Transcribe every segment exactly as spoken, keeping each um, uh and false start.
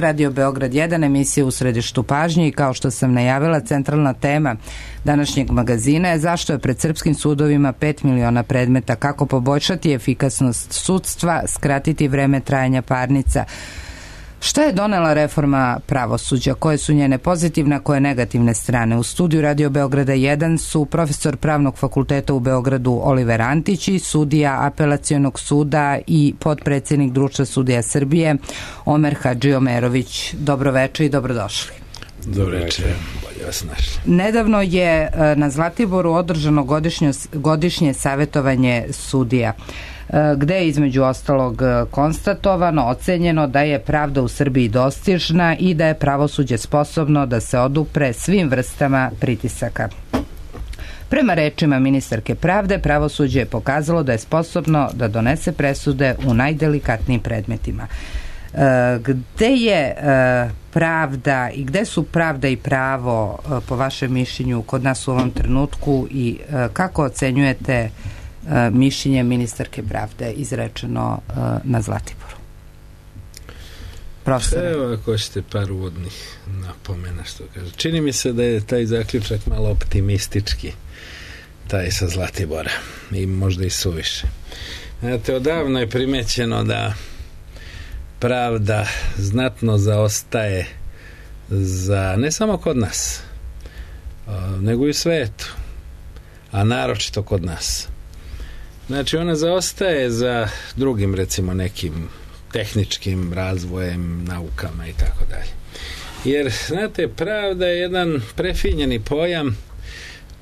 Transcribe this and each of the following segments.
Radio Beograd jedan, emisija U središtu pažnje, i kao što sam najavila, centralna tema današnjeg magazina je zašto je pred srpskim sudovima pet miliona predmeta, kako poboljšati efikasnost sudstva, skratiti vreme trajanja parnica. Šta je donela reforma pravosuđa? Koje su njene pozitivne, a koje negativne strane? U studiju Radio Beograda jedan su profesor Pravnog fakulteta u Beogradu Oliver Antić i sudija Apelacionog suda i potpredsjednik Društva sudija Srbije Omer Hadžiomerović. Dobro večer i dobrodošli. Dobro večer, bolje vas našli. Nedavno je na Zlatiboru održano godišnje, godišnje savjetovanje sudija, gde je između ostalog konstatovano, ocenjeno da je pravda u Srbiji dostižna i da je pravosuđe sposobno da se odupre svim vrstama pritisaka. Prema rečima ministarke pravde, pravosuđe je pokazalo da je sposobno da donese presude u najdelikatnijim predmetima. Gde je pravda i gde su pravda i pravo, po vašem mišljenju, kod nas u ovom trenutku, i kako ocenjujete mišljenje ministarke pravde izrečeno na Zlatiboru? Profesor. Evo, ako ćete par uvodnih napomena, što kaže. Čini mi se da je taj zaključak malo optimistički, taj sa Zlatibora, i možda i suviše. Znate, odavno je primećeno da pravda znatno zaostaje za, ne samo kod nas, nego i u svetu, a naročito kod nas. Znači, ona zaostaje za drugim, recimo, nekim tehničkim razvojem, naukama i tako dalje. Jer, znate, pravda je jedan prefinjeni pojam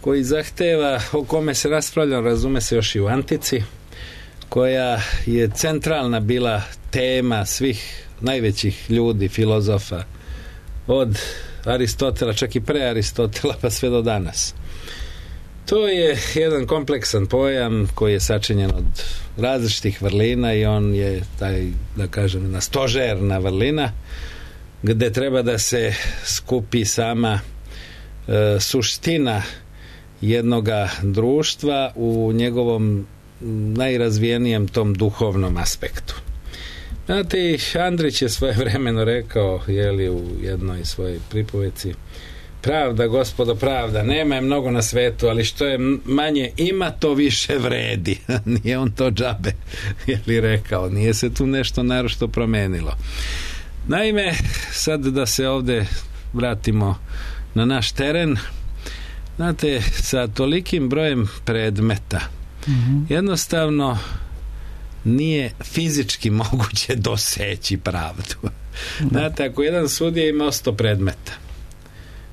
koji zahteva, o kome se raspravlja, razume se još i u antici, koja je centralna bila tema svih najvećih ljudi, filozofa, od Aristotela, čak i pre Aristotela, pa sve do danas. To je jedan kompleksan pojam koji je sačinjen od različitih vrlina i on je taj, da kažem, jedna stožerna vrlina gde treba da se skupi sama e, suština jednoga društva u njegovom najrazvijenijem tom duhovnom aspektu. Znate, Andrić je svojevremeno rekao, jeli, u jednoj svojoj pripoveci: pravda, gospodo, pravda, nema je mnogo na svetu, ali što je manje ima, to više vredi. Nije on to džabe, je li rekao, nije se tu nešto naročito promenilo. Naime, sad da se ovde vratimo na naš teren, znate, sa tolikim brojem predmeta, mm-hmm. jednostavno nije fizički moguće doseći pravdu. Da. Znate, ako jedan sudija ima sto predmeta,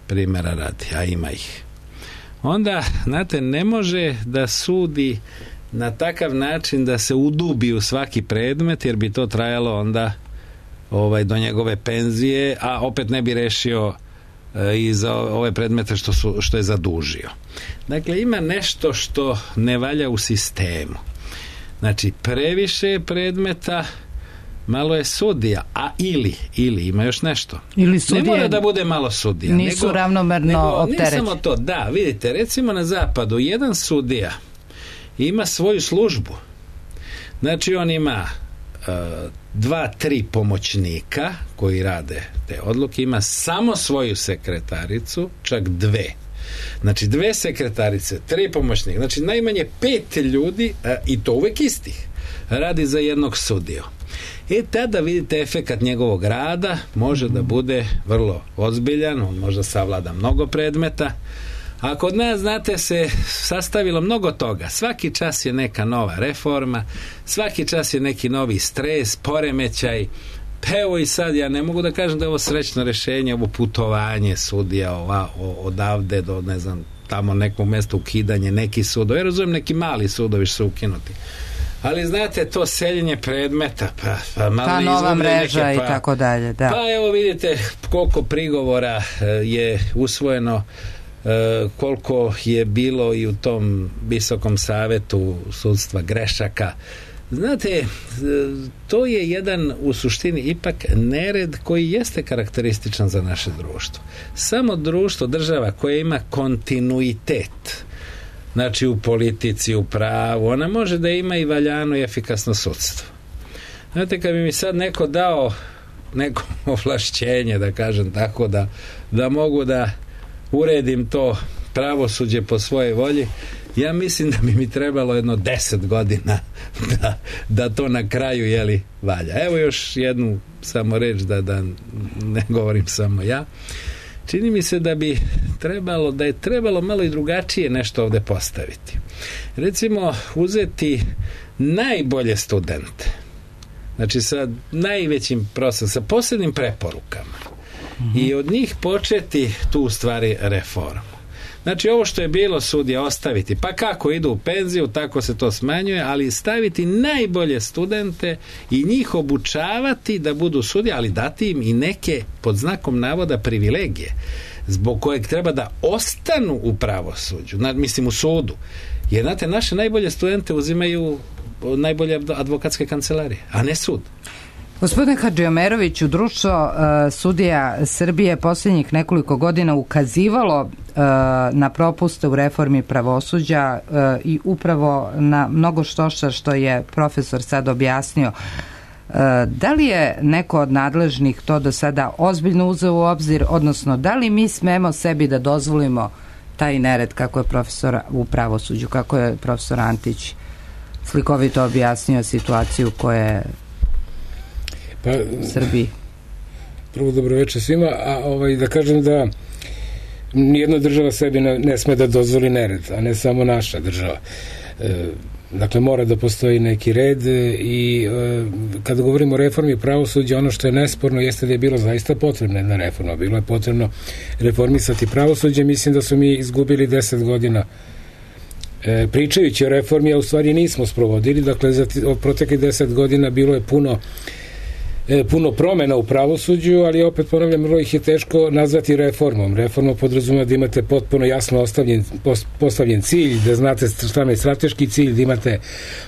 primjera radi, a ima ih, onda, znate, ne može da sudi na takav način da se udubi u svaki predmet, jer bi to trajalo onda ovaj, do njegove penzije, a opet ne bi rešio e, i za ove predmete što, su, što je zadužio. Dakle, ima nešto što ne valja u sistemu. Znači, previše predmeta, malo je sudija, a ili, ili ima još nešto. Ili sudije, ne mora da bude malo sudija. Nisu nego, ravnomerno opterećeni. Ne samo to, da, vidite, recimo na zapadu, jedan sudija ima svoju službu. Znači, on ima uh, dva, tri pomoćnika koji rade te odluke, ima samo svoju sekretaricu, čak dve. Znači, dve sekretarice, tri pomoćnika, znači najmanje pet ljudi, uh, i to uvek istih, radi za jednog sudiju. I tada vidite efekat njegovog rada može da bude vrlo ozbiljan, on možda savlada mnogo predmeta, a kod nas, znate, se sastavilo mnogo toga. Svaki čas je neka nova reforma, svaki čas je neki novi stres, poremećaj. Pa evo i sad, ja ne mogu da kažem da je ovo srećno rešenje, ovo putovanje sudija ova, odavde do, ne znam, tamo nekog mesta, ukidanje neki sudovi. Ja razumijem, neki mali sudovi su ukinuti. Ali, znate, to seljenje predmeta, pa, pa malo ta nova mreža neke, pa, i tako dalje, da. Pa evo vidite koliko prigovora je usvojeno, koliko je bilo i u tom visokom savetu sudstva grešaka. Znate, to je jedan u suštini ipak nered koji jeste karakterističan za naše društvo. Samo društvo, država koja ima kontinuitet, znači u politici, u pravu, ona može da ima i valjano i efikasno sudstvo. Znate, kad bi mi sad neko dao neko ovlašćenje, da kažem tako, da, da mogu da uredim to pravosuđe po svojoj volji, ja mislim da bi mi trebalo jedno deset godina da, da to na kraju, jeli, valja. Evo još jednu samo reč, da, da ne govorim samo ja. Čini mi se da bi trebalo, da je trebalo malo i drugačije nešto ovde postaviti. Recimo, uzeti najbolje studente, znači sa najvećim prosekom, sa posebnim preporukama, mm-hmm. i od njih početi tu u stvari reformu. Znači, ovo što je bilo sudija ostaviti, pa kako idu u penziju, tako se to smanjuje, ali staviti najbolje studente i njih obučavati da budu sudije, ali dati im i neke, pod znakom navoda, privilegije, zbog kojeg treba da ostanu u pravosuđu, mislim u sudu. Jer, znate, naše najbolje studente uzimaju najbolje advokatske kancelarije, a ne sud. Gospodine Hadžiomeroviću, društvo uh, sudija Srbije posljednjih nekoliko godina ukazivalo uh, na propuste u reformi pravosuđa uh, i upravo na mnogo štošta što je profesor sad objasnio. Uh, da li je neko od nadležnih to do sada ozbiljno uzeo u obzir, odnosno da li mi smemo sebi da dozvolimo taj nered kako je profesor u pravosuđu, kako je profesor Antić slikovito objasnio situaciju koja je pa, Srbiji. Prvo dobroveče svima, a ovaj, da kažem da nijedna država sebi ne, ne sme da dozvoli nered, a ne samo naša država. E, dakle, mora da postoji neki red i e, kada govorimo o reformi pravosuđa, ono što je nesporno jeste da je bilo zaista potrebna jedna reforma. Bilo je potrebno reformisati pravosuđe. Mislim da su mi izgubili deset godina e, pričajući o reformi, a u stvari nismo sprovodili. Dakle, za od proteklih deset godina bilo je puno E, puno promena u pravosuđu, ali opet ponavljam, vrlo ih je teško nazvati reformom. Reforma podrazumeva da imate potpuno jasno ostavljen, postavljen cilj, da znate šta je strateški cilj, da imate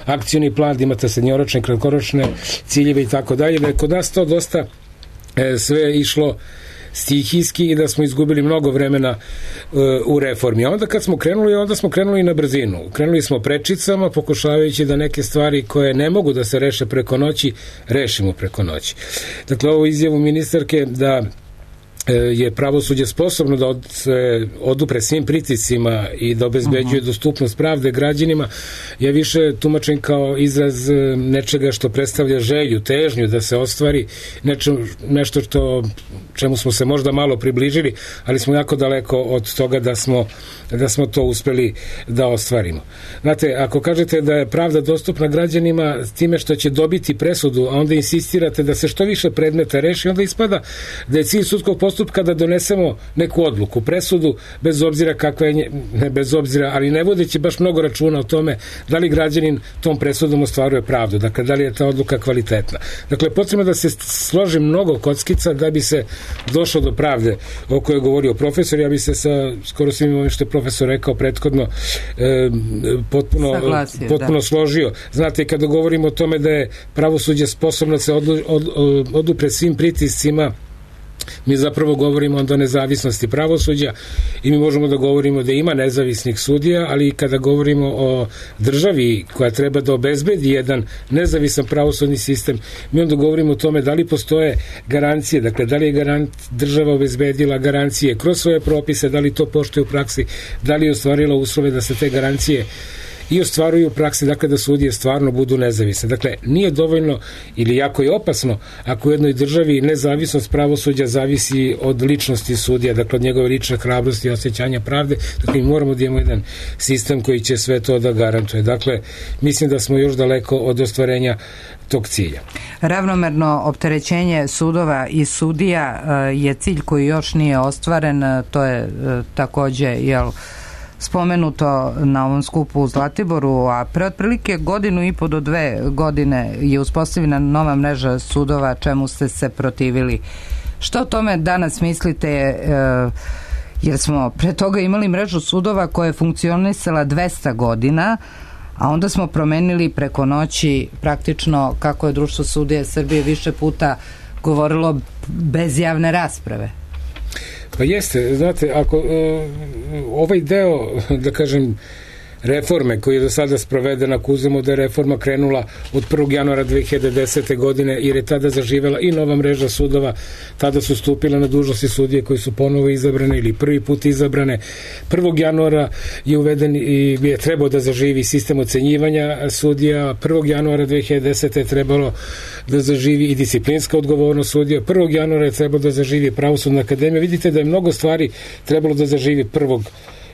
akcioni plan, da imate srednjoročne, kratkoročne ciljeve i tako dalje. Da je kod nas to dosta e, sve išlo stihijski i da smo izgubili mnogo vremena uh, u reformi. A onda kad smo krenuli, onda smo krenuli na brzinu. Krenuli smo prečicama, pokušavajući da neke stvari koje ne mogu da se reše preko noći, rešimo preko noći. Dakle, ovo izjavu ministarke da je pravosuđe sposobno da od, se odupre svim pritiscima i da obezbeđuje uh-huh. dostupnost pravde građanima, ja više tumačim kao izraz nečega što predstavlja želju, težnju da se ostvari, nečem, nešto što, čemu smo se možda malo približili, ali smo jako daleko od toga da smo, da smo to uspeli da ostvarimo. Znate, ako kažete da je pravda dostupna građanima time što će dobiti presudu, a onda insistirate da se što više predmeta reši, onda ispada da je cilj sudskog postupka da donesemo neku odluku, presudu, bez obzira kakva je, ne bez obzira, ali ne vodeći baš mnogo računa o tome da li građanin tom presudom ostvaruje pravdu, dakle, da li je ta odluka kvalitetna. Dakle, potrebno da se složi mnogo kockica da bi se došlo do pravde o kojoj je govorio profesor. Ja bi se sa skoro svim ovim što je profesor rekao prethodno e, potpuno, Saglasio, potpuno da. složio. Znate, kada govorimo o tome da je pravosuđe sposobno da se odlu, od, od, odupre svim pritiscima, mi zapravo govorimo o nezavisnosti pravosuđa i mi možemo da govorimo da ima nezavisnih sudija, ali kada govorimo o državi koja treba da obezbedi jedan nezavisan pravosudni sistem, mi onda govorimo o tome da li postoje garancije, dakle da li je garant, država obezbedila garancije kroz svoje propise, da li to poštuje u praksi, da li je ostvarila uslove da se te garancije i ostvaruju u praksi, dakle da sudije stvarno budu nezavisne. Dakle, nije dovoljno ili jako je opasno ako u jednoj državi nezavisnost pravosuđa zavisi od ličnosti sudija, dakle od njegove lične hrabrosti i osjećanja pravde. Dakle, mi moramo da imamo jedan sistem koji će sve to da garantuje. Dakle, mislim da smo još daleko od ostvarenja tog cilja. Ravnomerno opterećenje sudova i sudija je cilj koji još nije ostvaren, to je takođe, jel, spomenuto na ovom skupu u Zlatiboru, a pre otprilike godinu i po do dve godine je uspostavljena nova mreža sudova, čemu ste se protivili. Što o tome danas mislite, e, jer smo pre toga imali mrežu sudova koja je funkcionisala dvesta godina, a onda smo promenili preko noći praktično, kako je Društvo sudija Srbije više puta govorilo, bez javne rasprave. Pa jeste, znate, ako uh, ovaj deo, da kažem, reforme koji je do sada sprovedena, ako uzmemo da je reforma krenula od prvog januara dve hiljade desete. godine, jer je tada zaživela i nova mreža sudova, tada su stupile na dužnosti sudije koji su ponovo izabrane ili prvi put izabrane. prvog januara je uveden i je trebao da zaživi sistem ocenjivanja sudija, prvog januara dve hiljade desete. je trebalo da zaživi i disciplinska odgovornost sudija, prvog januara je trebalo da zaživi Pravosudna akademija. Vidite da je mnogo stvari trebalo da zaživi prvog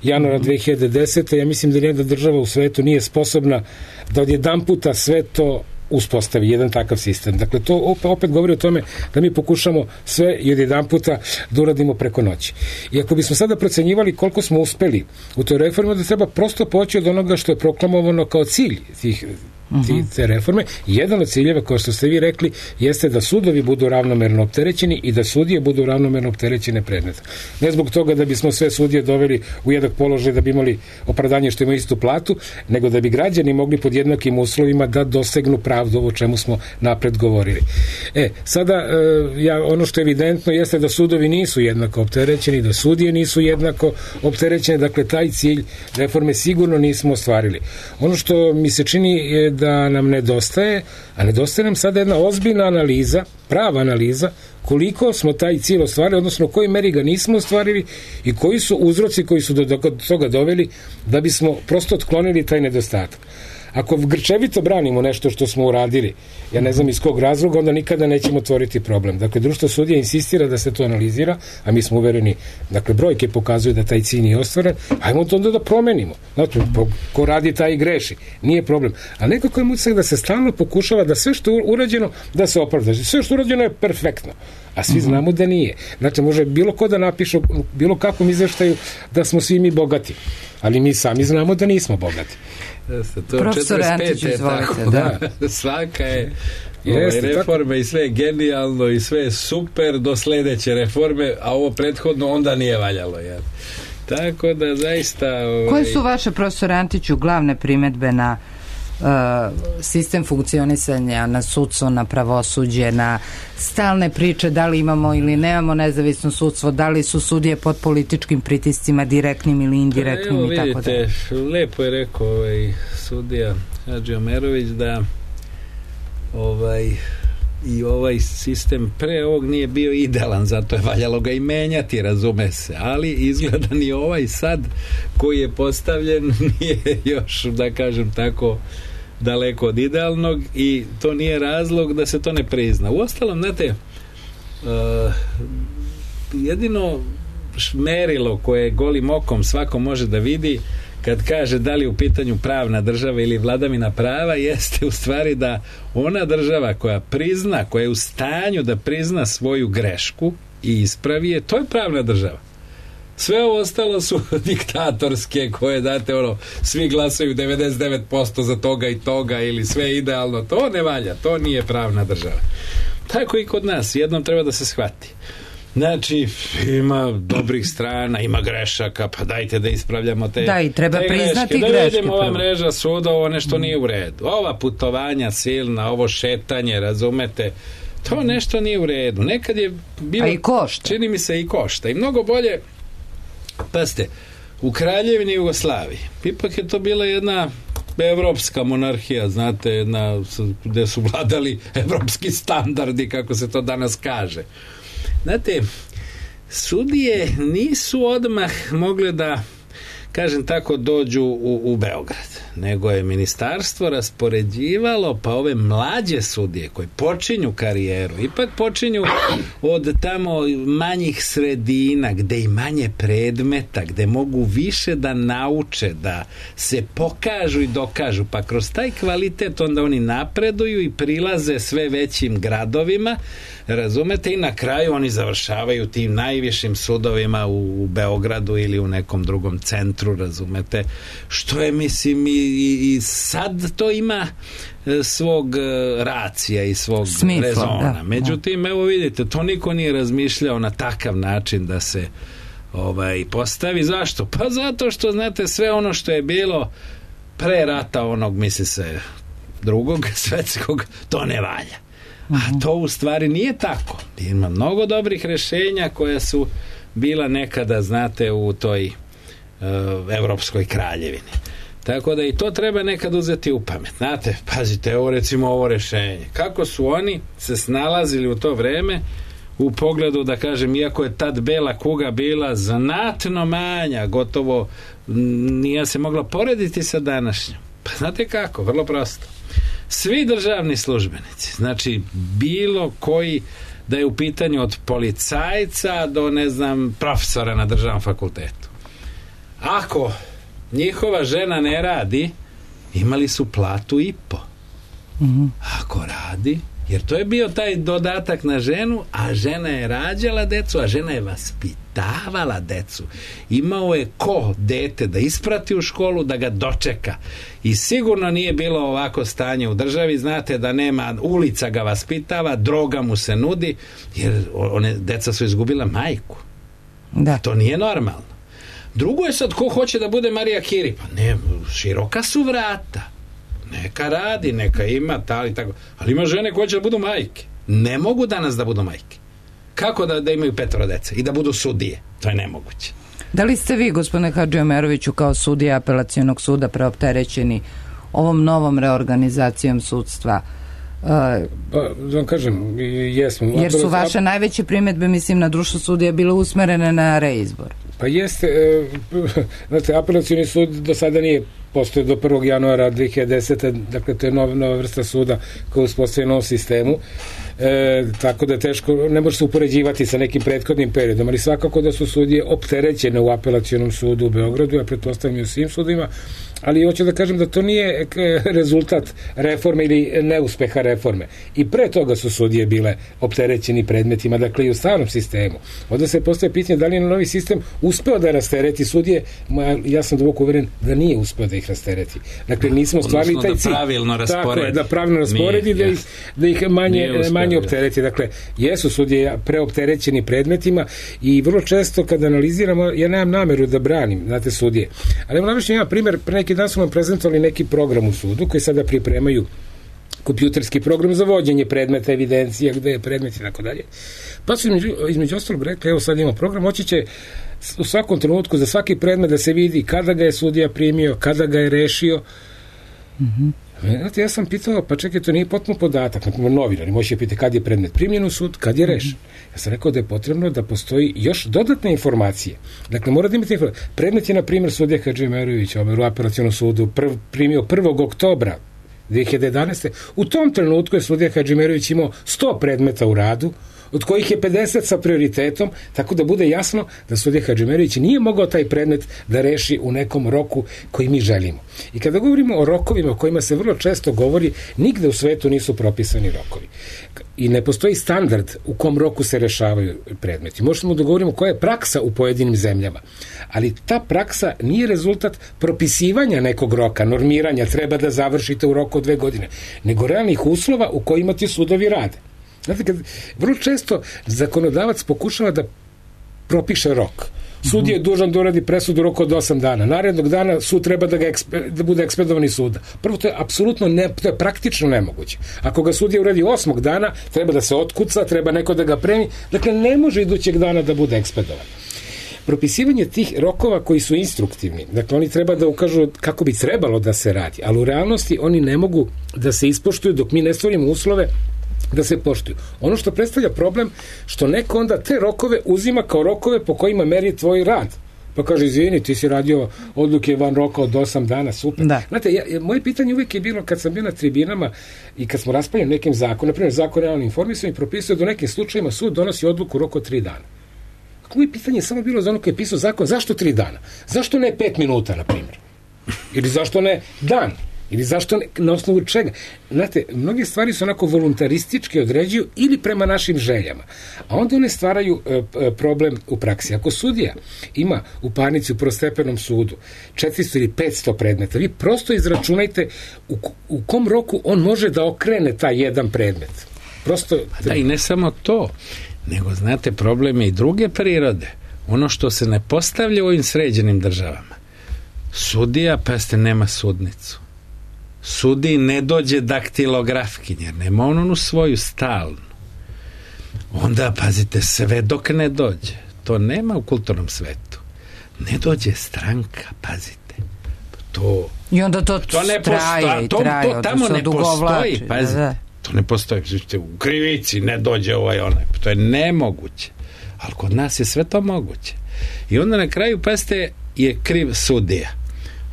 januara dve hiljade desete. Ja mislim da nijedna država u svetu nije sposobna da odjedan puta sve to uspostavi, jedan takav sistem. Dakle, to opet, opet govori o tome da mi pokušamo sve i odjedan puta da uradimo preko noći. I ako bismo sada procenjivali koliko smo uspeli u toj reformi, da treba prosto poći od onoga što je proklamovano kao cilj tih te reforme. Jedan od ciljeva, kao što ste vi rekli, jeste da sudovi budu ravnomerno opterećeni i da sudije budu ravnomerno opterećene predmeta. Ne zbog toga da bismo sve sudije doveli u jednak položaj da bi imali opravdanje što imaju istu platu, nego da bi građani mogli pod jednakim uslovima da dosegnu pravdu, ovo čemu smo napred govorili. E, sada, ja, ono što je evidentno jeste da sudovi nisu jednako opterećeni, da sudije nisu jednako opterećene, dakle, taj cilj reforme sigurno nismo ostvarili. Ono što mi se čini je da nam nedostaje, a nedostaje nam sada jedna ozbiljna analiza, prava analiza, koliko smo taj cilj ostvarili, odnosno u kojoj meri ga nismo ostvarili i koji su uzroci koji su do, do toga doveli da bismo prosto otklonili taj nedostatak. Ako grčevito branimo nešto što smo uradili, ja ne znam iz kog razloga, onda nikada nećemo otvoriti problem. Dakle, društvo sudija insistira da se to analizira, a mi smo uvereni, dakle, brojke pokazuju da taj cilj nije ostvaren, ajmo to onda da promenimo. Znači, ko radi, taj i greši. Nije problem. A nekako je utisak da se stalno pokušava da sve što je urađeno, da se opravda. Sve što je urađeno je perfektno. A svi znamo da nije. Znači, može bilo ko da napiše bilo kakvom izveštaju da smo svi mi bogati. Ali mi sami znamo da nismo bogati. Jeste, to profesor Antić, izvolite, da. Svaka je Jeste, ove reforme tako. I sve je genijalno i sve je super do sledeće reforme, a ovo prethodno onda nije valjalo. Jel? Tako da zaista... Ovaj... Koje su vaše, profesor Antiću, glavne primedbe na uh, sistem funkcionisanja, na sudstvo, na pravosuđe, na stalne priče da li imamo ili nemamo nezavisno sudstvo, da li su sudije pod političkim pritiscima, direktnim ili indirektnim? Evo, i tako vidite, da. Lepo je rekao ovaj sudija Hadži Omerović da ovaj i ovaj sistem pre ovog nije bio idealan, zato je valjalo ga i menjati, razume se, ali izgleda ni ovaj sad koji je postavljen nije još, da kažem tako, daleko od idealnog i to nije razlog da se to ne prizna. Uostalom, znate, uh, jedino merilo koje golim okom svako može da vidi kad kaže da li u pitanju pravna država ili vladavina prava jeste u stvari da ona država koja prizna, koja je u stanju da prizna svoju grešku i ispravi je, to je pravna država. Sve ovo ostalo su diktatorske koje date ono, svi glasaju devedeset devet posto za toga i toga ili sve idealno, to ne valja, to nije pravna država. Tako i kod nas, jednom treba da se shvati. Znači, ima dobrih strana, ima grešaka, pa dajte da ispravljamo te, da, i treba te priznati greške. greške. Da vidimo ova mreža suda, ovo nešto nije u redu. Ova putovanja silna, ovo šetanje, razumete, to nešto nije u redu. Nekad je bilo... A i košta. Čini mi se i košta. I mnogo bolje, pazite, u Kraljevini Jugoslaviji, ipak je to bila jedna evropska monarhija, znate, jedna, gde su vladali evropski standardi, kako se to danas kaže. Znate, sudije nisu odmah mogle da, kažem tako, dođu u, u Beograd, nego je ministarstvo raspoređivalo pa ove mlađe sudije koji počinju karijeru, ipak počinju od tamo manjih sredina gde i manje predmeta, gde mogu više da nauče, da se pokažu i dokažu, pa kroz taj kvalitet onda oni napreduju i prilaze sve većim gradovima, razumete, i na kraju oni završavaju tim najvišim sudovima u, u Beogradu ili u nekom drugom centru, razumete, što je, mislim, i, i, i sad to ima svog racija i svog smisla, rezona. Da, međutim, da. Evo vidite, to niko nije razmišljao na takav način da se ovaj, postavi. Zašto? Pa zato što, znate, sve ono što je bilo pre rata onog, misli se, drugog svetskog, to ne valja. A to u stvari nije tako. Ima mnogo dobrih rešenja koja su bila nekada, znate, u toj uh, Evropskoj kraljevini. Tako da i to treba nekad uzeti u pamet. Znate, pazite, ovo recimo ovo rešenje. Kako su oni se snalazili u to vreme u pogledu, da kažem, iako je tad bela kuga bila znatno manja, gotovo nije se mogla porediti sa današnjom. Pa znate kako, vrlo prosto. Svi državni službenici, znači bilo koji, da je u pitanju od policajca do, ne znam, profesora na državnom fakultetu. Ako njihova žena ne radi, imali su platu i po. Mm-hmm. Ako radi, jer to je bio taj dodatak na ženu, a žena je rađala decu, a žena je vaspitavala decu. Imao je ko dete da isprati u školu, da ga dočeka. I sigurno nije bilo ovako stanje u državi. Znate da nema, ulica ga vaspitava, droga mu se nudi, jer one, deca su izgubila majku. Da. To nije normalno. Drugo je sad ko hoće da bude Marija Kiri. Pa ne, široka su vrata. Neka radi, neka ima, tali, tako. Ali ima žene koje će da budu majke. Ne mogu danas da budu majke. Kako da, da imaju petoro dece i da budu sudije? To je nemoguće. Da li ste vi, gospodine Hadžiomeroviću, kao sudija apelacionog suda preopterećeni ovom novom reorganizacijom sudstva? Uh, pa, da vam kažem, jesmo. Jer su vaše najveće primedbe, mislim, na društvo sudija bile usmerene na reizbor. Pa jeste, e, znate, apelacioni sud do sada nije postoje do prvog januara dve hiljade desete. Dakle, to je nova, nova vrsta suda koja uspostavlja novom sistemu. E, tako da teško, ne može se upoređivati sa nekim prethodnim periodom, ali svakako da su sudije opterećene u apelacionom sudu u Beogradu, ja pretpostavljam i u svim sudima, ali hoću da kažem da to nije rezultat reforme ili neuspeha reforme. I pre toga su sudije bile opterećeni predmetima, dakle i u starom sistemu. Onda se postaje pitanje da li je novi sistem uspeo da rastereti sudije. Ja sam duboko uveren da nije uspeo da ih rastereti. Dakle, nismo stvarili taj cilj. Da pravilno rasporedi. Tako je, da pravilno rasporedi, da ih, da ih manje, manje optereti. Dakle, jesu sudije preopterećeni predmetima i vrlo često kad analiziramo, ja nemam nameru da branim, znate, sudije. Ali vam navešću jedan primjer, pre neki dan su nam prezentovali neki program u sudu koji sada pripremaju kompjuterski program za vođenje predmeta, evidencija, gde je predmet i tako dalje. Pa su između, između ostalog rekli, evo sad imamo program, moći će u svakom trenutku za svaki predmet da se vidi kada ga je sudija primio, kada ga je rešio. Mhm. Znate, ja sam pitao, pa čekaj, to nije potpuno podatak, na primjer novinari, možete pitati kad je predmet primljen u sud, kad je rešen. Ja sam rekao da je potrebno da postoji još dodatne informacije. Dakle, mora da imate informacije. Predmet je, na primjer, sudija Hadžiomerović u apelacionom sudu prv, primio prvog oktobra dve hiljade jedanaeste. U tom trenutku je sudija Hadžiomerović imao sto predmeta u radu, od kojih je pedeset sa prioritetom, tako da bude jasno da sudija Hadžiomerović nije mogao taj predmet da reši u nekom roku koji mi želimo. I kada govorimo o rokovima o kojima se vrlo često govori, nigde u svetu nisu propisani rokovi. I ne postoji standard u kom roku se rešavaju predmeti. Možemo da govorimo koja je praksa u pojedinim zemljama, ali ta praksa nije rezultat propisivanja nekog roka, normiranja, treba da završite u roku od dve godine, nego realnih uslova u kojima ti sudovi rade. Znate, kad vrlo često zakonodavac pokušava da propiše rok. Sud je dužan da uradi presudu u roku od osam dana. Narednog dana sud treba da, ga ekspe, da bude ekspedovan iz suda. Prvo, to je apsolutno ne, to je praktično nemoguće. Ako ga sudija uradi osmog dana, treba da se otkuca, treba neko da ga premi. Dakle, ne može idućeg dana da bude ekspedovan. Propisivanje tih rokova koji su instruktivni, dakle oni treba da ukažu kako bi trebalo da se radi, ali u realnosti oni ne mogu da se ispoštuju dok mi ne stvorimo uslove da se poštuju. Ono što predstavlja problem, što neko onda te rokove uzima kao rokove po kojima meri tvoj rad. Pa kaže, izvini, ti si radio odluke van roka od osam dana, super. Da. Znate, ja, moje pitanje uvijek je bilo, kad sam bio na tribinama i kad smo raspravljali nekim zakonom, na primjer zakon o javnom informisanju, propisuje da u nekim slučajima sud donosi odluku u roku od tri dana. Moje pitanje je samo bilo za ono koji je pisao zakon, zašto tri dana? Zašto ne pet minuta, na primjer? Ili zašto ne dan? Ili zašto ne, na osnovu čega? Znate, mnoge stvari su onako voluntaristički određuju ili prema našim željama. A onda one stvaraju e, problem u praksi. Ako sudija ima u parnici u prvostepenom sudu četiristo ili petsto predmeta, vi prosto izračunajte u, u kom roku on može da okrene taj jedan predmet. Prosto... Da, i ne samo to, nego, znate, problem je i druge prirode. Ono što se ne postavlja u ovim sređenim državama. Sudija, pa ste, nema sudnicu. Sudi ne dođe daktilografkinja, nema on onu svoju stalnu. Onda, pazite, sve dok ne dođe. To nema u kulturnom svetu. Ne dođe stranka, pazite. to i onda to, to ne traje postoji, i to, traje, to tamo ne postoji, pazi, da, da. to ne postoji, u krivici ne dođe ovaj onaj, to je nemoguće, ali kod nas je sve to moguće. I onda na kraju, pazite, je kriv sudija.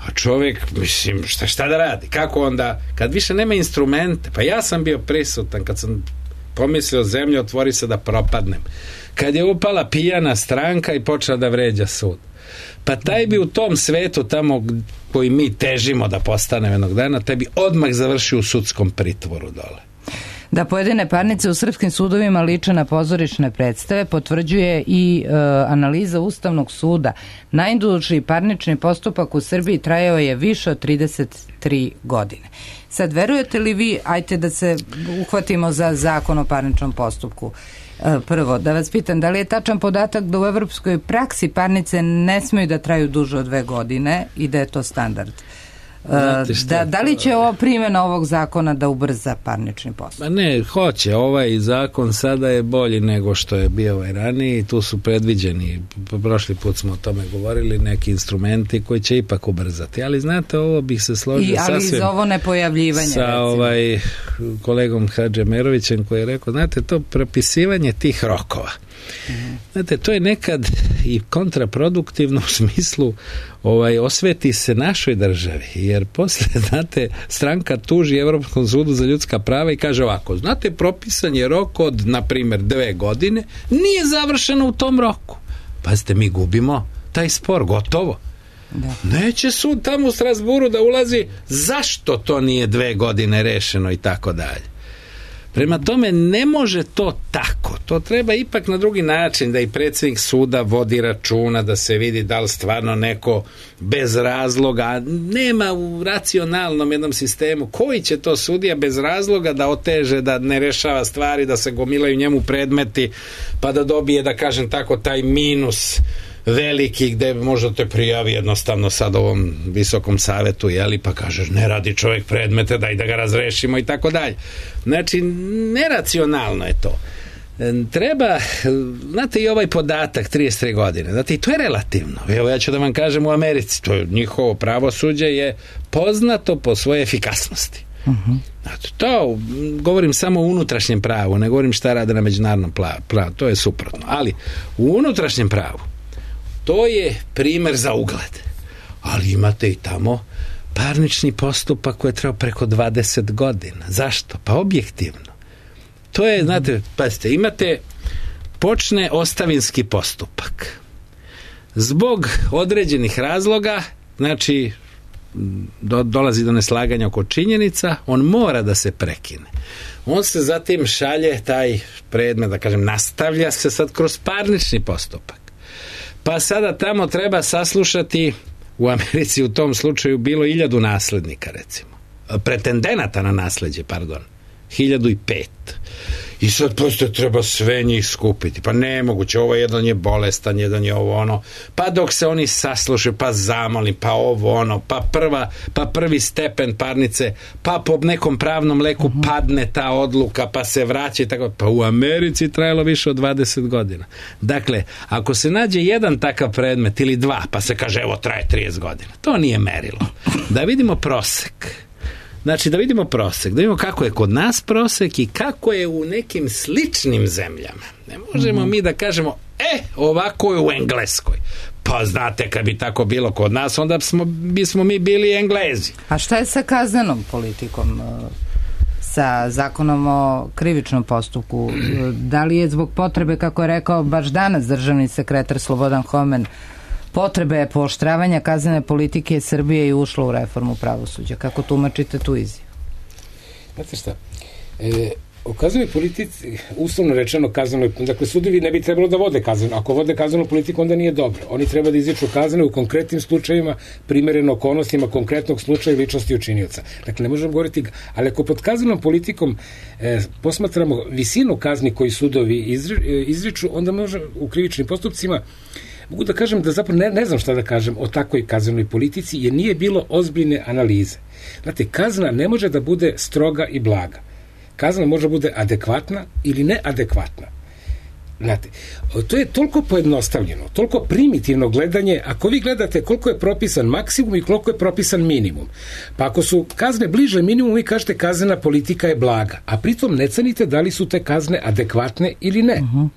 A čovjek, mislim, šta, šta da radi? Kako onda, kad više nema instrumente, pa ja sam bio prisutan, kad sam pomislio zemlju otvori se da propadnem. Kad je upala pijana stranka i počela da vređa sud. Pa taj bi u tom svetu tamo koji mi težimo da postanemo jednog dana, taj bi odmah završio u sudskom pritvoru dole. Da pojedine parnice u srpskim sudovima liče na pozorišne predstave potvrđuje i e, analiza Ustavnog suda. Najduži parnični postupak u Srbiji trajao je više od trideset tri godine. Sad, verujete li vi, ajte da se uhvatimo za zakon o parničnom postupku. E, prvo, da vas pitam, da li je tačan podatak da u evropskoj praksi parnice ne smeju da traju duže od dve godine i da je to standard? Da, da li će ovo primjena ovog zakona da ubrza parnični postupak? Ne, hoće. Ovaj zakon sada je bolji nego što je bio ovaj raniji. Tu su predviđeni, prošli put smo o tome govorili, neki instrumenti koji će ipak ubrzati. Ali znate, ovo bih se složio I, ali sasvim za ovo nepojavljivanje, sa recimo. ovaj kolegom Hadžemerovićem koji je rekao, znate, to propisivanje tih rokova. Mm. Znate, to je nekad i kontraproduktivno u smislu ovaj, osveti se našoj državi, jer posle, znate, stranka tuži Evropskom sudu za ljudska prava i kaže ovako, znate, propisan je rok od, na primjer, dve godine, nije završeno u tom roku. Pazite, mi gubimo taj spor, gotovo. Da. Neće sud tamo u Strasburu da ulazi, zašto to nije dve godine rešeno i tako dalje. Prema tome, ne može to tako. To treba ipak na drugi način, da i predsjednik suda vodi računa, da se vidi da li stvarno neko bez razloga, nema u racionalnom jednom sistemu, koji će to sudija bez razloga da oteže, da ne rešava stvari, da se gomilaju njemu predmeti, pa da dobije, da kažem tako, taj minus veliki gde možda te prijavi jednostavno sad ovom visokom savetu, jeli, pa kažeš ne radi čovjek predmete, daj da ga razrešimo i tako dalje. Znači, neracionalno je to. Treba, znate, i ovaj podatak trideset tri godine, znate, i to je relativno. Evo, ja ću da vam kažem, u Americi to je njihovo pravosuđe je poznato po svojoj efikasnosti. Uh-huh. Znači, to govorim samo o unutrašnjem pravu, ne govorim šta rade na međunarodnom pravu, to je suprotno. Ali u unutrašnjem pravu to je primjer za ugled. Ali imate i tamo parnični postupak koji je trebao preko dvadeset godina. Zašto? Pa objektivno. To je, znate, pazite, imate počne ostavinski postupak. Zbog određenih razloga, znači do, dolazi do neslaganja oko činjenica, on mora da se prekine. On se zatim šalje, taj predmet, da kažem, nastavlja se sad kroz parnični postupak. Pa sada tamo treba saslušati, u Americi u tom slučaju bilo hiljadu naslednika, recimo. Pretendenata na nasleđe, pardon. Hiljadu i pet. I sad posto treba sve njih skupiti. Pa nemoguće, ovo jedan je bolestan, jedan je ovo ono. Pa dok se oni saslušaju, pa zamoli, pa ovo ono, pa prva, pa prvi stepen parnice, pa po nekom pravnom leku padne ta odluka, pa se vraća i tako. Pa u Americi trajalo više od dvadeset godina. Dakle, ako se nađe jedan takav predmet ili dva, pa se kaže evo traje trideset godina. To nije merilo. Da vidimo prosek. Znači, da vidimo prosek, da vidimo kako je kod nas prosek i kako je u nekim sličnim zemljama. Ne možemo mm-hmm. mi da kažemo, e, ovako je u Engleskoj. Pa znate, kad bi tako bilo kod nas, onda smo, bismo mi bili Englezi. A šta je sa kaznenom politikom? Sa zakonom o krivičnom postupku? Da li je zbog potrebe, kako je rekao baš danas državni sekretar Slobodan Homen, potrebe pooštravanja kaznene politike Srbije i ušlo u reformu pravosuđa? Kako tumačite tu izjavu? Znate šta, e, o kaznenoj politici, uslovno rečeno kaznenoj, dakle sudovi ne bi trebalo da vode kaznenu, ako vode kaznenu politiku onda nije dobro, oni treba da izriču kazne u konkretnim slučajevima, primereno okolnostima konkretnog slučaja i ličnosti učinioca. Dakle, ne možemo govoriti, ali ako pod kaznenom politikom e, posmatramo visinu kazni koji sudovi izri, izriču, onda može u krivičnim postupcima mogu da kažem da zapravo ne, ne znam šta da kažem o takvoj kaznenoj politici, jer nije bilo ozbiljne analize. Znate, kazna ne može da bude stroga i blaga. Kazna može da bude adekvatna ili neadekvatna. Znate, to je toliko pojednostavljeno, toliko primitivno gledanje, ako vi gledate koliko je propisan maksimum i koliko je propisan minimum. Pa ako su kazne bliže minimumu, vi kažete kaznena politika je blaga, a pritom ne cenite da li su te kazne adekvatne ili ne. Uh-huh.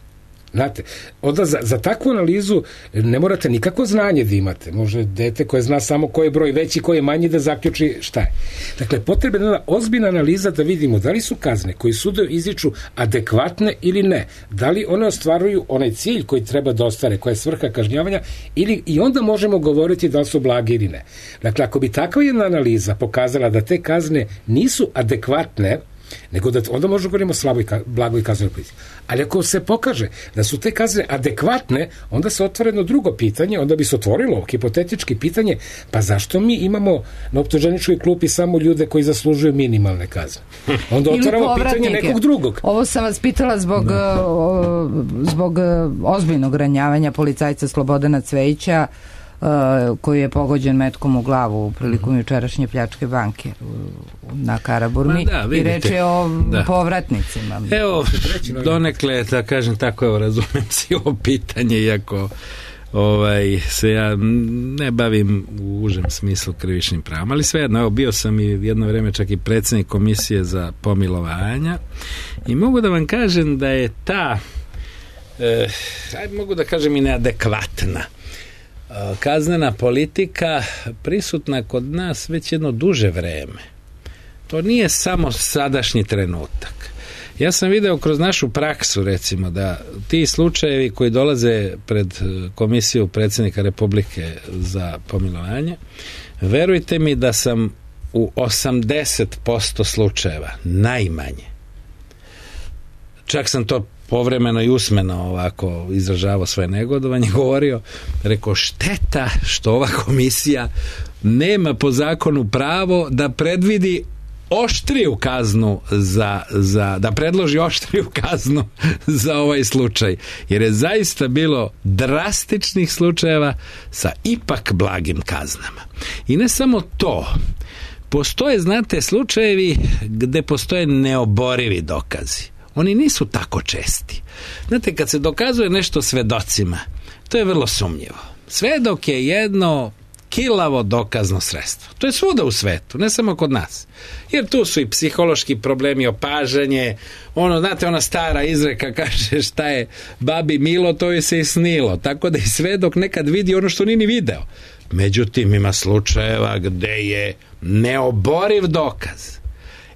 Znate, onda za, za takvu analizu ne morate nikako znanje da imate. Može dete koje zna samo koji je broj veći, koji je manji da zaključi šta je. Dakle, potrebna je ozbiljna analiza da vidimo da li su kazne koji sudovi izriču adekvatne ili ne. Da li one ostvaruju onaj cilj koji treba da ostvare, koja je svrha kažnjavanja, ili i onda možemo govoriti da li su blage ili ne. Dakle, ako bi takva jedna analiza pokazala da te kazne nisu adekvatne, nego da onda možemo govoriti o slaboj, blagoj kaznenoj politici. Ali ako se pokaže da su te kazne adekvatne, onda se otvara jedno drugo pitanje, onda bi se otvorilo hipotetički pitanje, pa zašto mi imamo na optuženičkoj klupi samo ljude koji zaslužuju minimalne kazne? Onda otvaramo pitanje nekog drugog. Ovo sam vas pitala zbog, no. o, zbog ozbiljnog ranjavanja policajca Slobodana Cvejića, Uh, koji je pogođen metkom u glavu u prilikom jučerašnje pljačke banke na Karaburmi. Da, i reč je o da. povratnicima. Evo, donekle, da kažem tako, evo, razumem si ovo pitanje, iako ovaj, se ja ne bavim u užem smislu krivičnim pravom, ali svejedno, evo, bio sam i jedno vreme čak i predsjednik komisije za pomilovanja i mogu da vam kažem da je ta eh, aj, mogu da kažem i neadekvatna kaznena politika prisutna kod nas već jedno duže vreme. To nije samo sadašnji trenutak. Ja sam video kroz našu praksu, recimo, da ti slučajevi koji dolaze pred komisiju predsjednika Republike za pomilovanje, verujte mi da sam u osamdeset posto slučajeva, najmanje, čak sam to povremeno i usmeno ovako izražavao svoje negodovanje, govorio, rekao, šteta što ova komisija nema po zakonu pravo da predvidi oštriju kaznu za, za, da predloži oštriju kaznu za ovaj slučaj, jer je zaista bilo drastičnih slučajeva sa ipak blagim kaznama. I ne samo to, postoje, znate, slučajevi gde postoje neoborivi dokazi. Oni nisu tako česti. Znate, kad se dokazuje nešto svedocima, to je vrlo sumnjivo. Svedok je jedno kilavo dokazno sredstvo. To je svuda u svetu, ne samo kod nas. Jer tu su i psihološki problemi, opažanje, ono, znate, ona stara izreka kaže šta je babi milo, to je se i snilo. Tako da i svedok nekad vidi ono što nije ni video. Međutim, ima slučajeva gde je neoboriv dokaz.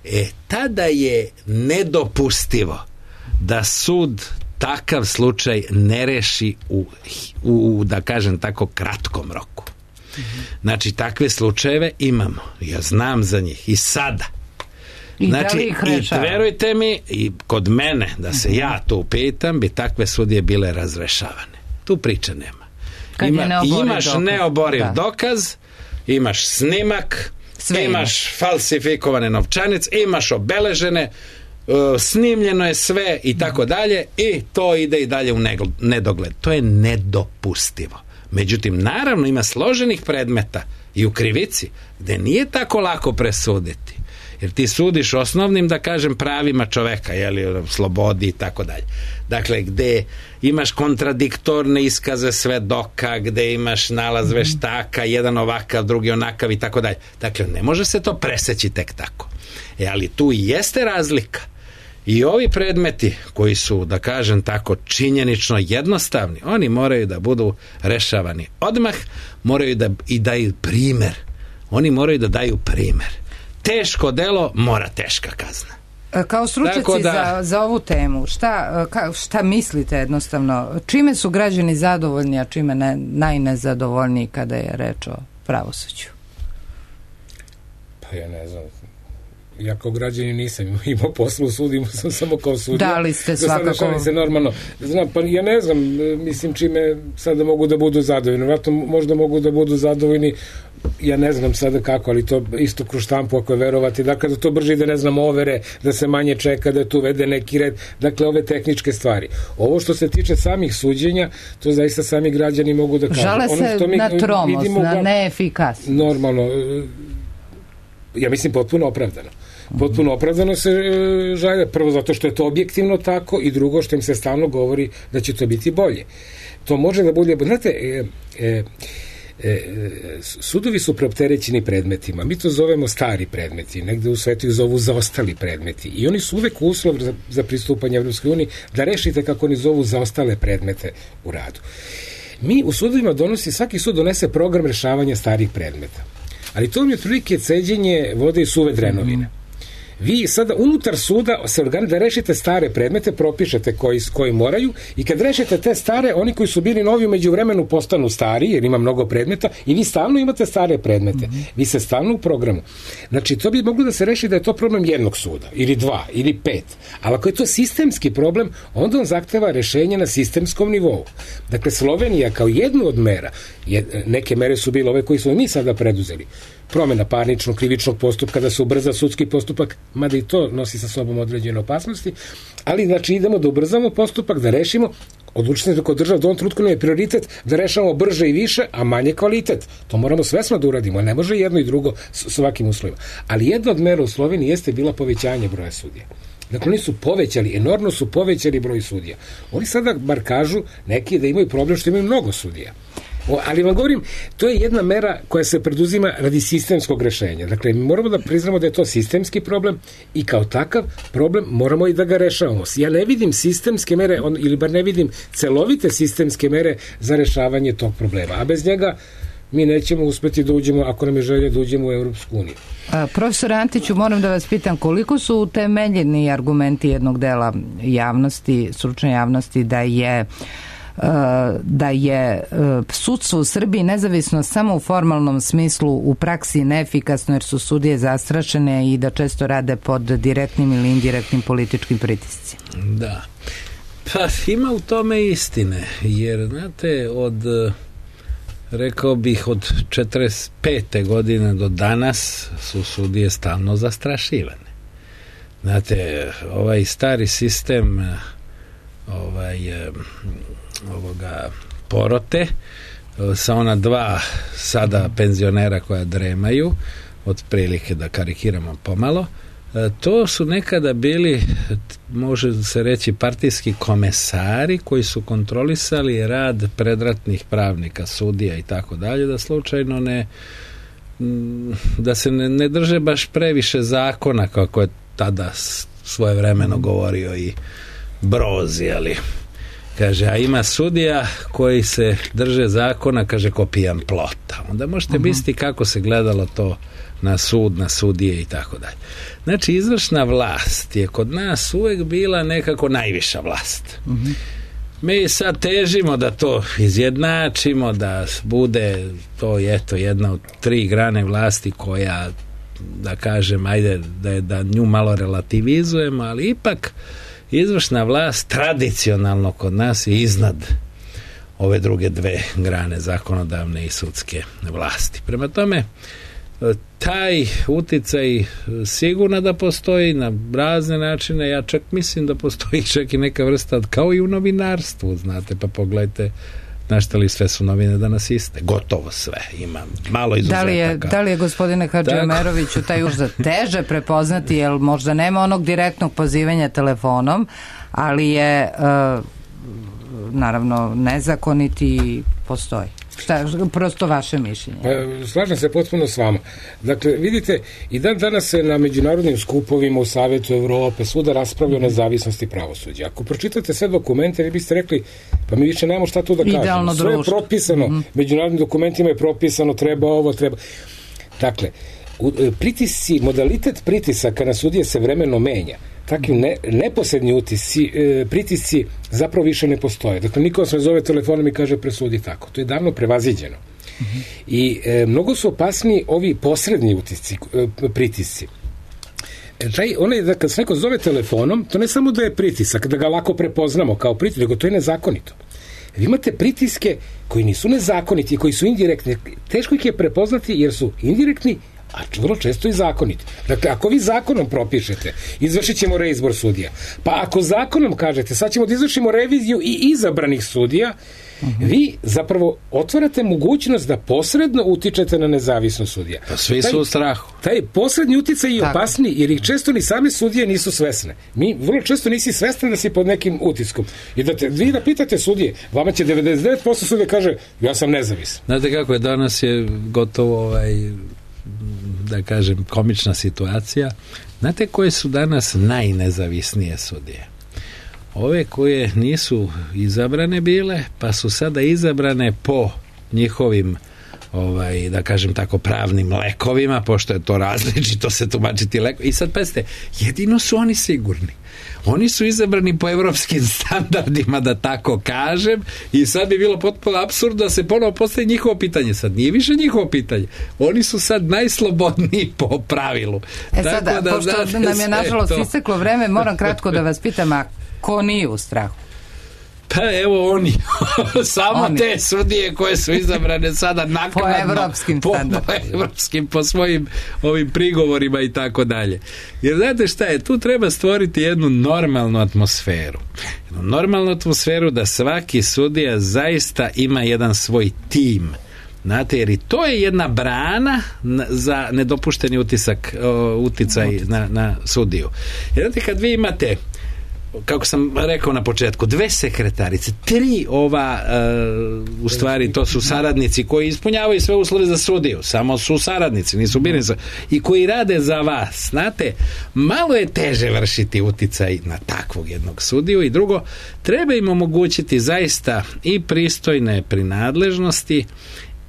E, tada je nedopustivo da sud takav slučaj ne reši u, u da kažem tako, kratkom roku. Znači, takve slučajeve imamo. Ja znam za njih. I sada. I znači, i verujte mi, i kod mene, da se uh-huh. ja tu pitam, bi takve sudije bile razrešavane. Tu priče nema. Ima, imaš dokaz. neoboriv da. dokaz, imaš snimak, Sve imaš ima. falsifikovane novčanice, imaš obeležene, uh, snimljeno je sve i tako dalje, i to ide i dalje u nedogled. To je nedopustivo. Međutim, naravno, ima složenih predmeta i u krivici gde nije tako lako presuditi. Jer ti sudiš osnovnim, da kažem, pravima čoveka, jeli, slobodi i tako dalje. Dakle, gde imaš kontradiktorne iskaze svedoka, gde imaš nalaz veštaka, jedan ovakav, drugi onakav i tako dalje. Dakle, ne može se to preseći tek tako. E, ali tu i jeste razlika. I ovi predmeti koji su, da kažem tako, činjenično jednostavni, oni moraju da budu rešavani odmah, moraju da i daju primer. Oni moraju da daju primer. Teško delo, mora teška kazna. Kao stručnjaci da, za, za ovu temu, šta, ka, šta mislite jednostavno? Čime su građani zadovoljni, a čime ne, najnezadovoljniji kada je reč o pravosuđu? Pa ja ne znam. Ja kao građanin nisam imao poslu u sudu, imao sam samo kao sudija. Da li ste svakako... se normalno. Znam, pa ja ne znam, mislim čime sada mogu da budu zadovoljni. Vratno možda mogu da budu zadovoljni, ja ne znam sada kako, ali to isto kroz štampu ako je verovati. Dakle, da to brže ide, ne znam, overe, da se manje čeka, da tu vede neki red. Dakle, ove tehničke stvari. Ovo što se tiče samih suđenja, to zaista sami građani mogu da kažu. Žale ono se mi na tromost, na neefikasnost. Normalno, ja mislim potpuno opravdano. potpuno opravdano se e, žalje, prvo zato što je to objektivno tako i drugo što im se stalno govori da će to biti bolje. To može da bude, znate, e, e, E, sudovi su preopterećeni predmetima, mi to zovemo stari predmeti, negde u svetu ih zovu zaostali predmeti i oni su uvek uslov za, za pristupanje Evropskoj uniji da rešite kako oni zovu zaostale predmete u radu. Mi u sudovima donosi, svaki sud donese program rešavanja starih predmeta, ali to mi je otprilike ceđenje vode i suve drenovine. Vi sada unutar suda se organ da rešite stare predmete, propišete koji, koji moraju i kad rešite te stare, oni koji su bili novi umeđu vremenu postanu stari, jer ima mnogo predmeta i vi stalno imate stare predmete. Mm-hmm. Vi se stalno u programu. Znači, to bi moglo da se reši da je to problem jednog suda, ili dva, ili pet. Ali ako je to sistemski problem, onda on zahteva rešenje na sistemskom nivou. Dakle, Slovenija kao jednu od mera, je, neke mere su bile ove koji smo mi sada preduzeli, promjena parničnog, krivičnog postupka, da se ubrza sudski postupak, mada i to nosi sa sobom određene opasnosti, ali znači idemo da ubrzamo postupak, da rešimo, odlučite kod država da u ovom trenutku nam je prioritet da rešavamo brže i više, a manje kvalitet. To moramo svesno da uradimo, ne može jedno i drugo s ovakvim uslovima. Ali jedna od mera u Sloveniji jeste bila povećanje broja sudija. Dakle, oni su povećali, enormno su povećali broj sudija. Oni sada bar kažu neki da imaju problem što imaju mnogo sudija. O, ali vam govorim, to je jedna mera koja se preduzima radi sistemskog rešenja. Dakle, mi moramo da priznamo da je to sistemski problem i kao takav problem moramo i da ga rešavamo. Ja ne vidim sistemske mere, on, ili bar ne vidim celovite sistemske mere za rešavanje tog problema. A bez njega mi nećemo uspeti da uđemo, ako nam je želje da uđemo u Evropsku uniju. A, profesor Antiću, moram da vas pitam koliko su utemeljeni argumenti jednog dela javnosti, stručne javnosti, da je da je sudstvo u Srbiji nezavisno samo u formalnom smislu, u praksi neefikasno jer su sudije zastrašene i da često rade pod direktnim ili indirektnim političkim pritiscima. Da. Pa ima u tome istine, jer znate, od rekao bih od četrdeset pete godine do danas su sudije stalno zastrašivane. Znate, ovaj stari sistem ovaj ovoga porote sa ona dva sada penzionera koja dremaju, otprilike da karikiramo pomalo, to su nekada bili, može se reći, partijski komesari koji su kontrolisali rad predratnih pravnika, sudija i tako dalje, da slučajno ne da se ne, ne drže baš previše zakona kako je tada svojevremeno govorio i Broz, ali kaže, a ima sudija koji se drže zakona, kaže, ko pijan plota. Onda možete uh-huh. misliti kako se gledalo to na sud, na sudije i tako dalje. Znači, izvršna vlast je kod nas uvek bila nekako najviša vlast. Uh-huh. Mi sad težimo da to izjednačimo, da bude to eto jedna od tri grane vlasti koja, da kažem, ajde da, je, da nju malo relativizujemo, ali ipak izvršna vlast tradicionalno kod nas je iznad ove druge dve grane, zakonodavne i sudske vlasti. Prema tome, taj uticaj sigurno da postoji na razne načine. Ja čak mislim da postoji čak i neka vrsta, kao i u novinarstvu, znate, pa pogledajte na šta li sve su novine danas iste. Gotovo sve. Ima malo izuzetaka. Da li je, da li je gospodine Hadžiomeroviću taj užas teže prepoznati, jer možda nema onog direktnog pozivanja telefonom, ali je uh, naravno nezakoniti postoji. Šta, prosto vaše mišljenje? Pa, slažem se potpuno s vama. Dakle, vidite, i dan danas se na međunarodnim skupovima u Savetu Evrope svuda raspravlja o nezavisnosti pravosuđa. Ako pročitate sve dokumente, vi biste rekli, pa mi više nemamo šta tu da kažemo. Idealno sve društvo. Je propisano, mm-hmm. međunarodnim dokumentima je propisano, treba ovo, treba... Dakle, pritisci, modalitet pritisaka na sudije se vremeno menja. Takvi ne, neposredni utisci, e, pritisci zapravo više ne postoje. Dakle, niko vas ne zove telefonom i kaže presudi tako. To je davno prevaziđeno. Uh-huh. I e, mnogo su opasni ovi posredni utisci, e, pritisci. E, taj, onaj, da kad se neko zove telefonom, to ne samo da je pritisak, da ga lako prepoznamo kao pritisak, nego to je nezakonito. Vi imate pritiske koji nisu nezakoniti, koji su indirektni. Teško ih je prepoznati jer su indirektni, a vrlo često i zakoniti. Dakle, ako vi zakonom propišete, izvršit ćemo reizbor sudija. Pa ako zakonom kažete, sad ćemo da izvršimo reviziju i izabranih sudija, Uh-huh. Vi zapravo otvarate mogućnost da posredno utičete na nezavisnost sudija. Pa svi su taj, u strahu. Taj posredni uticaj je opasniji, jer ih često ni same sudije nisu svesne. Mi vrlo često nisi svestan da si pod nekim utiskom. I da te, vi da pitate sudije, vama će devedeset devet posto sudije kaže, ja sam nezavisan. Znate kako je, danas je gotovo ovaj, da kažem, komična situacija. Znate koje su danas najnezavisnije sudije? Ove koje nisu izabrane bile, pa su sada izabrane po njihovim, ovaj, da kažem tako, pravnim lekovima, pošto je to različito se tumačiti leko. I sad pazite, jedino su oni sigurni. Oni su izabrani po evropskim standardima, da tako kažem, i sad bi bilo potpuno apsurd da se ponovo postavi njihovo pitanje. Sad nije više njihovo pitanje. Oni su sad najslobodniji po pravilu. E sada, da, pošto da, nam je nažalost to isteklo vreme, moram kratko da vas pitam, a ko nije u strahu? Pa evo oni, samo oni. Te sudije koje su izabrane sada naknadno po evropskim po, po evropskim, po svojim ovim prigovorima i tako dalje. Jer znate šta je, tu treba stvoriti jednu normalnu atmosferu. Jednu normalnu atmosferu da svaki sudija zaista ima jedan svoj tim. Znate, jer i to je jedna brana za nedopušteni utisak, uticaj na, na sudiju. Jer znate, kad vi imate, kako sam rekao na početku, dve sekretarice, tri ova uh, u stvari to su saradnici koji ispunjavaju sve uslove za sudiju, samo su saradnici, nisu birani, i koji rade za vas. Znate, malo je teže vršiti uticaj na takvog jednog sudiju. I drugo, treba im omogućiti zaista i pristojne prinadležnosti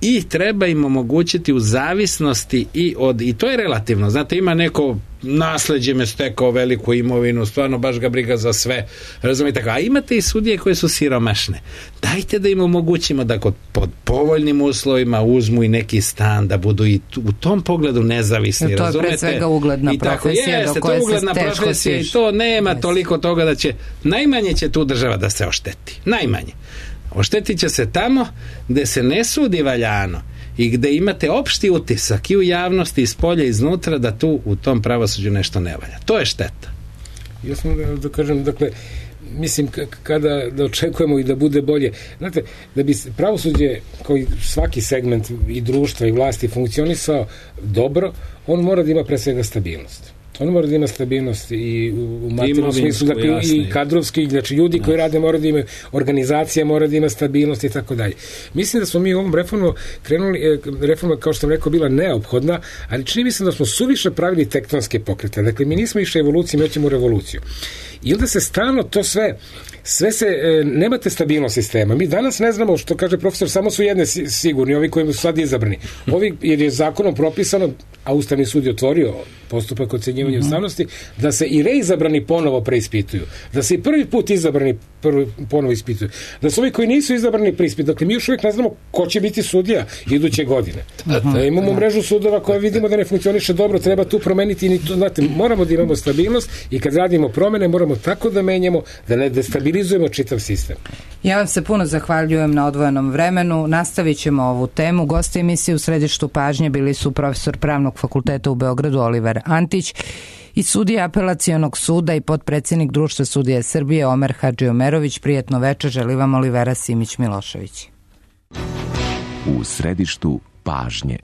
i treba im omogućiti u zavisnosti i od, i to je relativno, znate, ima neko nasleđem je stekao veliku imovinu, stvarno baš ga briga za sve, razumijete, a imate i sudije koje su siromašne. Dajte da im omogućimo da kod, pod povoljnim uslovima uzmu i neki stan, da budu i u tom pogledu nezavisni, to razumijete? To je pre svega ugledna I tako, profesija jeste, do koje to ugledna se teško profesija stiš. I to nema Jeste. Toliko toga da će, najmanje će tu država da se ošteti, najmanje. Oštetit će se tamo gde se ne sudi valjano i gde imate opšti utisak i u javnosti, iz polja i iznutra, da tu u tom pravosuđu nešto ne valja. To je šteta. Ja sam da, da kažem, dakle, mislim, kada da očekujemo i da bude bolje, znate, da bi pravosuđe, kao i svaki segment i društva i vlasti funkcionisao dobro, on mora da ima pre svega stabilnost. On mora da ima stabilnost i u materijalnom smislu, dakle, jasne, i kadrovski, znači ljudi koji rade mora da imaju, organizacija mora da ima stabilnost i tako dalje. Mislim da smo mi u ovom reformu krenuli, reforma, kao što sam rekao, bila neophodna, ali čini mi se da smo suviše pravili tektonske pokrete. Dakle, mi nismo išli evoluciju, mi hoćemo revoluciju. I onda se stalno to sve, sve se, e, nemate stabilnost sistema. Mi danas ne znamo, što kaže profesor, samo su jedne sigurni, ovi koji su sad izabrani. Ovi, jer je zakonom propisano, a Ustavni sud je otvorio postupak ocenjivanja ustavnosti, da se i reizabrani ponovo preispituju. Da se i prvi put izabrani prvi, ponovo ispituju. Da su ovi koji nisu izabrani preispituju. Dakle, mi još uvijek ne znamo ko će biti sudija iduće godine. Da imamo mrežu sudova koja vidimo da ne funkcioniše dobro, treba tu promeniti. I to, znate, moramo da imamo stabilnost i kad radimo promene, moramo tako da menjamo da ne destabilizujemo čitav sistem. Ja vam se puno zahvaljujem na odvojenom vremenu. Nastavit ćemo ovu temu. Gosti emisije u središtu pažnje bili su profesor Pravnog fakulteta u Beogradu Oliver Antić i sudija Apelacionog suda i potpredsjednik Društva sudija Srbije Omer Hadžiomerović. Prijetno večer, želi vam Olivera Simić Milošević. U središtu pažnje.